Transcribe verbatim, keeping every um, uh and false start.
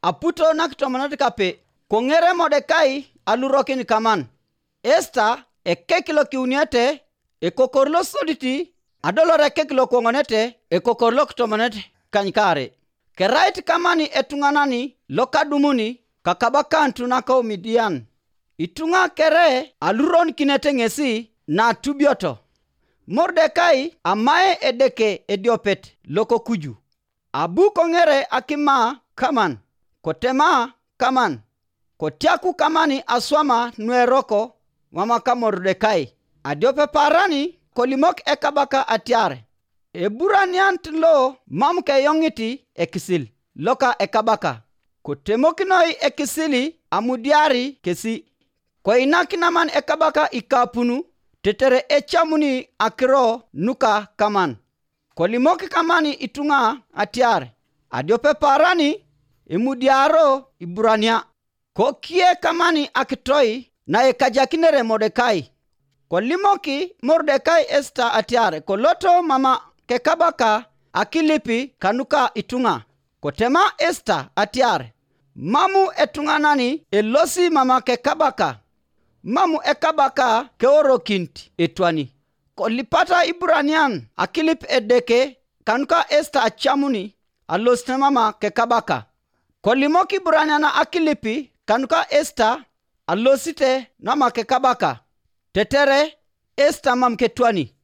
aputo nakitomonot kape, koŋere Modekai alurokin kaman. Esta ekek lokiuniete, ekokor losodit, adolor ekek lokoŋonete, ekokor lokitomonet kanykaare. Kerait kaman etuŋanan lokadumuni kakabakanut nako Midian. Ituŋa kere aluronikinete ŋesi natubioto. Mordekai amae Edeke ediopet lokokuju. Abu koŋere akima kaman, kotema kaman, kotiaku kaman aswama nueroko mama ka Mordekai. Adiope paran kolimok ekabaka atiar, Eburanianit lo mam keyoŋit ekisil loka ekabaka. Kotemokinoi ekisil amudiari kesi. Koinak naman ekabaka ikapun, tetere ecamuni akiro nuka kaman. Kolimok kaman ituŋa atiar, adiope paran imudiaro Iburania. Kokie kaman akitoi naekajakinere Modekai. Kolimok Modekai Esta atiar koloto mama kekabaka akilip kanuka ituŋa. Kotema Esta atiar, Mam etuŋanan elosi mama kekabaka, mam ekabaka keorokinit etwani. Kolipata Iburanian akilip Edeke kanuka Esta acamuni alosit mama kekabaka. Kolimok Iburanian akilip kanuka Esta alosite nama kekabaka, tetere Esta mam ketwani.